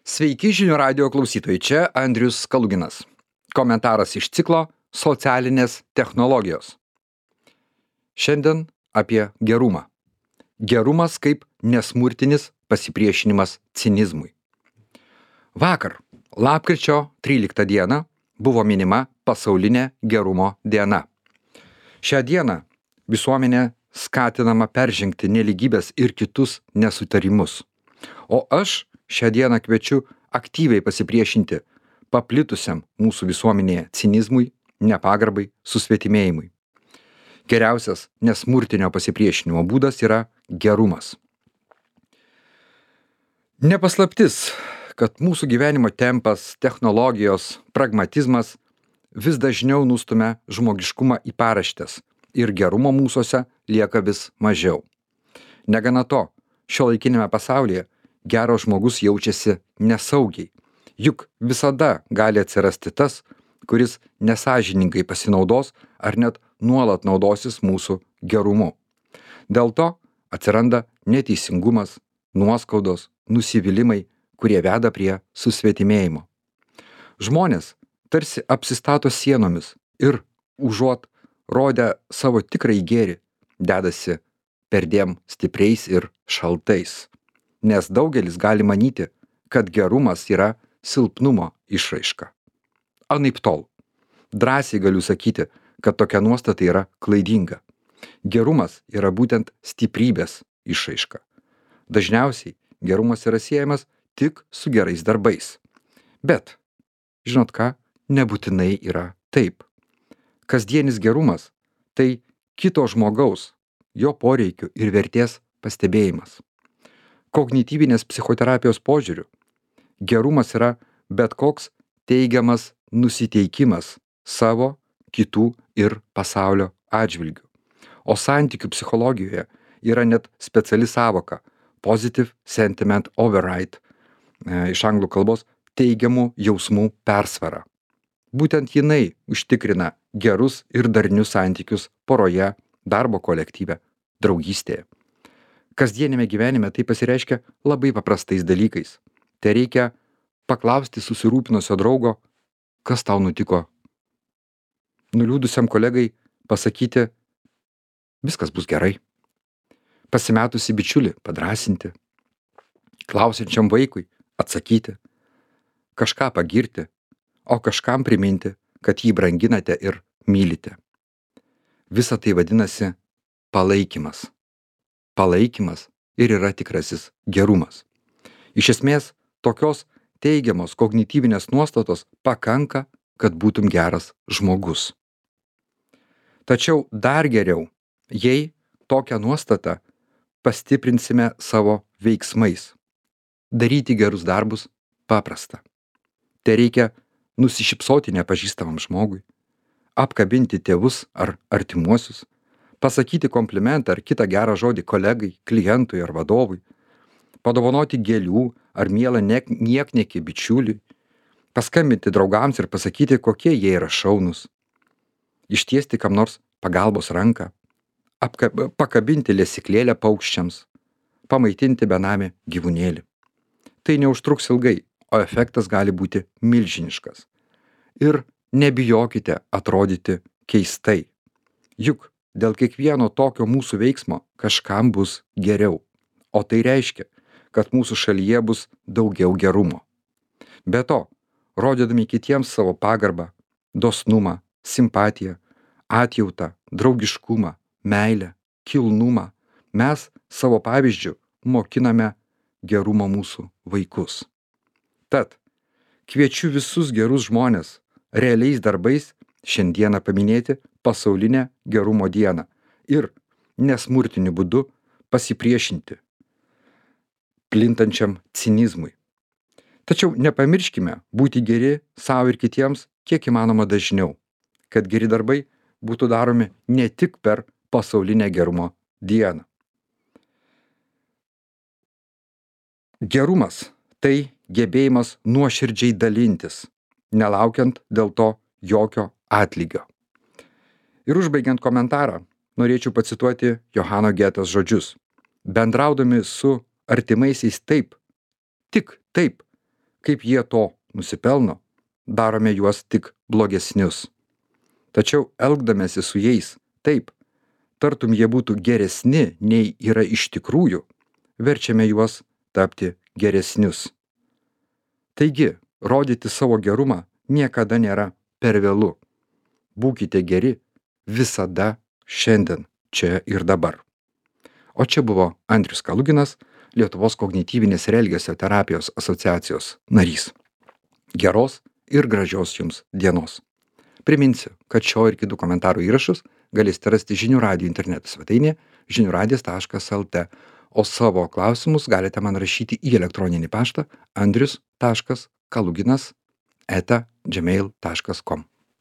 Sveiki žinių radio klausytojai, čia Andrius Kaluginas. Komentaras iš ciklo Socialinės technologijos. Šiandien apie gerumą. Gerumas kaip nesmurtinis pasipriešinimas cinizmui. Vakar, lapkričio 13 dieną, buvo minima pasaulinė gerumo diena. Šią dieną visuomenė skatinama peržengti nelygybės ir kitus nesutarimus. O aš šią dieną kviečiu aktyviai pasipriešinti paplitusiam mūsų visuomenėje cinizmui, nepagarbai, susvetimėjimui. Geriausias nesmurtinio pasipriešinimo būdas yra gerumas. Ne paslaptis, kad mūsų gyvenimo tempas, technologijos, pragmatizmas vis dažniau nustumia žmogiškumą į paraštes ir gerumo mūsuose lieka vis mažiau. Negana to, šiuolaikiniame pasaulyje geras žmogus jaučiasi nesaugiai, juk visada gali atsirasti tas, kuris nesąžiningai pasinaudos ar net nuolat naudosis mūsų gerumu. Dėl to atsiranda neteisingumas, nuoskaudos, nusivylimai, kurie veda prie susvetimėjimo. Žmonės tarsi apsistato sienomis ir užuot rodę savo tikrąjį gėrį, dedasi perdėm stipriais ir šaltais. Nes daugelis gali manyti, kad gerumas yra silpnumo išraiška. Anaiptol. Drąsiai galiu sakyti, kad tokia nuostata yra klaidinga. Gerumas yra būtent stiprybės išraiška. Dažniausiai gerumas yra siejamas tik su gerais darbais. Bet, žinot ką, nebūtinai yra taip. Kasdienis gerumas – tai kito žmogaus, jo poreikių ir vertės pastebėjimas. Kognityvinės psichoterapijos požiūriu, gerumas yra bet koks teigiamas nusiteikimas savo, kitų ir pasaulio atžvilgiu. O santykių psichologijoje yra net speciali sąvoka positive sentiment override, iš anglų kalbos teigiamų jausmų persvara. Būtent jinai užtikrina gerus ir darnius santykius poroje, darbo kolektyve, draugystėje. Kasdienėme gyvenime tai pasireiškia labai paprastais dalykais. Tai reikia paklausti susirūpinusio draugo, kas tau nutiko. Nuliūdusiam kolegai pasakyti, viskas bus gerai. Pasimetusi bičiulį padrąsinti. Klausiančiam vaikui atsakyti. Kažką pagirti, o kažkam priminti, kad jį branginate ir mylite. Visa tai vadinasi palaikymas. Palaikymas ir yra tikrasis gerumas. Iš esmės, tokios teigiamos kognityvinės nuostatos pakanka, kad būtum geras žmogus. Tačiau dar geriau, jei tokią nuostatą pastiprinsime savo veiksmais. Daryti gerus darbus paprasta. Tai reikia nusišypsoti nepažįstamam žmogui, apkabinti tėvus ar artimuosius, pasakyti komplimentą ar kitą gerą žodį kolegai, klientui ar vadovui, padovanoti gėlių ar mielą niekniekį bičiuliui, paskambinti draugams ir pasakyti, kokie jie yra šaunūs, ištiesti kam nors pagalbos ranką, pakabinti lesyklėlę paukščiams, pamaitinti benamį gyvūnėlį. Tai neužtruks ilgai, o efektas gali būti milžiniškas. Ir nebijokite atrodyti keistai. Juk dėl kiekvieno tokio mūsų veiksmo kažkam bus geriau. O tai reiškia, kad mūsų šalyje bus daugiau gerumo. Be to, rodydami kitiems savo pagarbą, dosnumą, simpatiją, atjautą, draugiškumą, meilę, kilnumą, mes savo pavyzdžiu mokiname gerumo mūsų vaikus. Tad, kviečiu visus gerus žmones realiais darbais šiandieną paminėti pasaulinę gerumo dieną ir nesmurtiniu būdu pasipriešinti plintančiam cinizmui. Tačiau nepamirškime būti geri savo ir kitiems kiek įmanoma dažniau, kad geri darbai būtų daromi ne tik per pasaulinę gerumo dieną. Gerumas – tai gebėjimas nuoširdžiai dalintis, nelaukiant dėl to jokio atlygio. Ir užbaigiant komentarą, norėčiau pacituoti Johano Getės žodžius. Bendraudami su artimaisiais taip, tik taip, kaip jie to nusipelno, darome juos tik blogesnius. Tačiau elgdamėsi su jais taip, tartum jie būtų geresni nei yra iš tikrųjų, verčiame juos tapti geresnius. Taigi, rodyti savo gerumą niekada nėra per vėlu. Būkite geri visada, šiandien, čia ir dabar. O čia buvo Andrius Kaluginas, Lietuvos kognityvinės ir elgesio terapijos asociacijos narys. Geros ir gražios jums dienos. Priminsiu, kad šio ir kitų komentarų įrašus galėsite rasti Žinių radijo interneto svetainėje žiniųradijas.lt, o savo klausimus galite man rašyti į elektroninį paštą andrius.kaluginas@gmail.com.